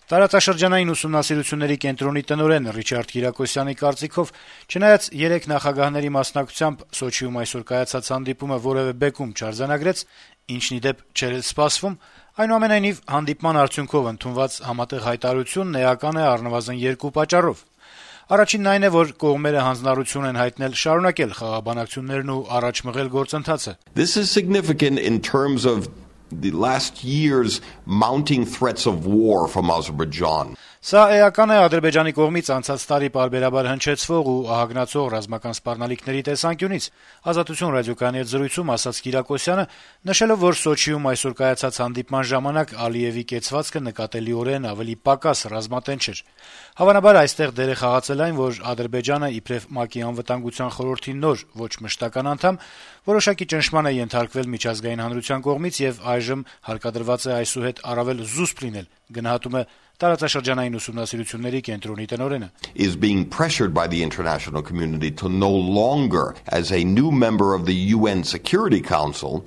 Տարածաշրջանային ուսումնասիրությունների կենտրոնի տնօրեն Ռիչարդ Կիրակոսյանի կարծիքով, չնայած 3 նախագահների մասնակցությամբ Սոչիում այսօր կայացած հանդիպումը որեւէ բեկում չարձանագրեց, ինչն ի դեպ չէր էլ սպասվում, այնուամենայնիվ հանդիպման արդյունքով ընդունված համատեղ հայտարարությունն էական է առնվազն 2 պատճառով: Առաջինն այն է, որ կողմերը հանձնառություն են հայտնել շարունակել խաղաղբանակցություններն ու առաջ մղել գործընթացը. This is significant in terms of the last year's mounting threats of war from Azerbaijan. Սա էական է Ադրբեջանի կողմից անցած տարի պարբերաբար հնչեցվող ու ահագնացող ռազմական սպառնալիքների տեսանկյունից, Ազատություն ռադիոկայանի հետ զրույցում ասաց Կիրակոսյանը, նշելով, որ Սոչիում այսօր կայացած հանդիպման ժամանակ Ալիևի կեցվածքը նկատելիորեն ավելի պակաս ռազմատենչ էր: Հավանաբար այստեղ դեր է խաղացել այն, որ Ադրբեջանը իբրև ՄԱԿ-ի անվտանգության խորհրդի նոր ոչ մշտական անդամ, որոշակի ճնշման է ենթարկվել միջազգային հանրության կողմից եւ այժմ հարկադրված է այսուհետ առավել զուսպ լինել, գնահատում է Տարածաշրջանային ուսումնասիրությունների կենտրոնի տնօրենը. Is being pressured by the international community to no longer, as a new member of the UN Security Council.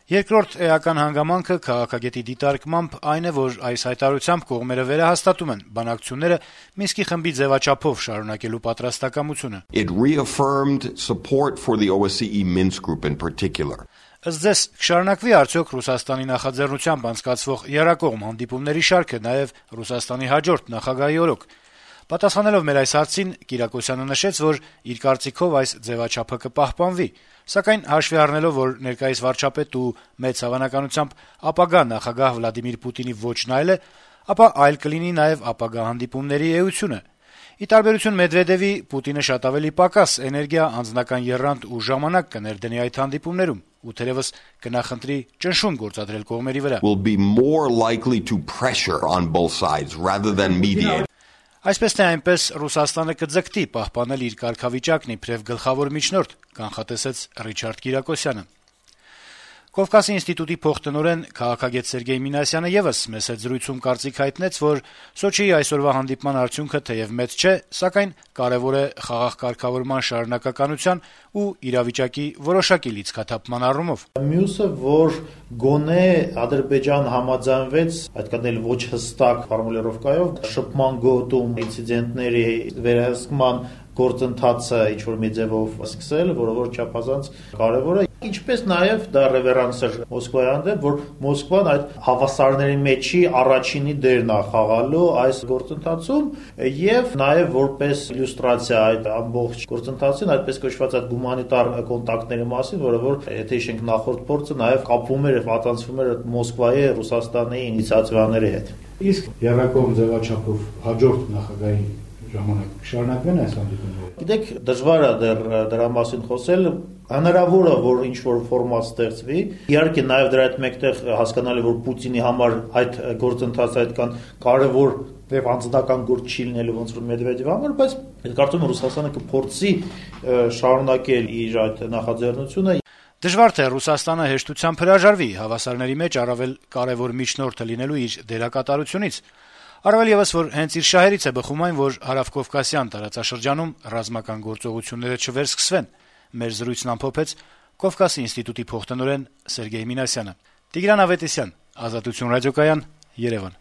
Երկրորդ էական հանգամանքը քաղաքագետի դիտարկմամբ այն է, որ այս հայտարարությամբ կողմերը վերահաստատում են բանակցությունները Մինսկի խմբի ձևաչափով շարունակելու պատրաստակամությունը. It reaffirmed support for the OSCE Minsk group in particular. Ըստ ձեզ, կշարունակվի արդյոք Ռուսաստանի նախաձեռնությամբ անցկացվող եռակողմ հանդիպումների շարքը նաեւ Ռուսաստանի հաջորդ նախագահի օրոք: Պատասխանելով մեր այս հարցին, Կիրակոսյանը նշեց, որ իր կարծիքով այս ձևաչափը կպահպանվի, սակայն հաշվի առնելով, որ ներկայիս վարչապետ ու մեծ հավանականությամբ ապագա նախագահ Վլադիմիր Պուտինի ոճն այլ է, ապա այլ կլինի նաեւ ապագա հանդիպումների էությունը: Ի տարբերություն Մեդվեդեւի, Պուտինը շատ ավելի պակաս էներգիա, անձնական եռանդ ու ժամանակ կներդնի այդ հանդիպումներում ու թերեւս կնախընտրի ճնշում գործադրել կողմերի վրա. Will be more likely to pressure on both sides rather than mediate. Այսպես թե այնպես Ռուսաստանը կձգտի պահպանել իր կարգավիճակն իբրև գլխավոր միջնորդ, կանխատեսեց Ռիչարդ Կիրակոսյանը: Կովկասի ինստիտուտի փոխտնօրեն քաղաքագետ Սերգեյ Մինասյանը եւս մեծ զրույցում կարծիք հայտնեց, որ Սոչիի այսօրվա հանդիպման արդյունքը թեեւ մեծ չէ, սակայն կարեւոր է խաղաղ կարգավորման շարունակականության ու իրավիճակի որոշակի լիցքաթափման առումով: Մյուսը, որ գոնե Ադրբեջան համաձայնվեց, այդքան էլ ոչ հստակ ֆորմուլիրովկայով, շփման գոտում ինցիդենտների վերահսկման գործընթացը ինչ-որ մի ձևով սկսել, որը որ չափազանց կարեւոր է, ինչպես նաեւ դա ռևերանս էր Մոսկվայի հանդեպ, որ Մոսկվան այդ հավասարների մեջի առաջինի դերն է խաղալու այս գործընթացում եւ նաեւ որպես իլյուստրացիա այդ ամբողջ գործընթացին, այդպես կոչված այդ հումանիտար կոնտակտների մասին, որը որ եթե հիշենք նախորդ փորձը նաեւ կապվում էր եւ պատասխանում էր Մոսկվայի, Ռուսաստանի ինիցիատիվաների հետ: Իսկ եռակողմ ձևաչափով հաջորդ նախագահի ժամանակ շարունակվեն այս հանդիպումները? Գիտեք, դժվար է դեռ դրա մասին խոսել, հնարավոր է, որ ինչ-որ ֆորմատ ստեղծվի, իհարկե նաեւ դրա հետ մեկտեղ հասկանալի, որ Պուտինի համար այդ գործընթացը այդքան կարեւոր եւ անձնական գործ չի լինելու ոնց որ Մեդվեդևի համար, բայց կարծում եմ Ռուսաստանը կփորձի շարունակել իր այդ նախաձեռնությունը. Դժվար թե Ռուսաստանը հեշտությամբ հրաժարվի հավասարների մեջ առավել կարեւոր միջնորդը լինելու իր դերակատարությունից, առավել եւս, որ հենց իր շահերից է բխում այն, որ հարավկովկասյան տարածաշրջանում ռազմական գործողությունները չվերսկսվեն: Մեր զրույցն ամփոփեց Կովկասի ինստիտուտի փոխտնօրեն Սերգեյ Մինասյանը: Տիգրան Ավետիսյան, Ազատություն ռադիոկայան, Երևան: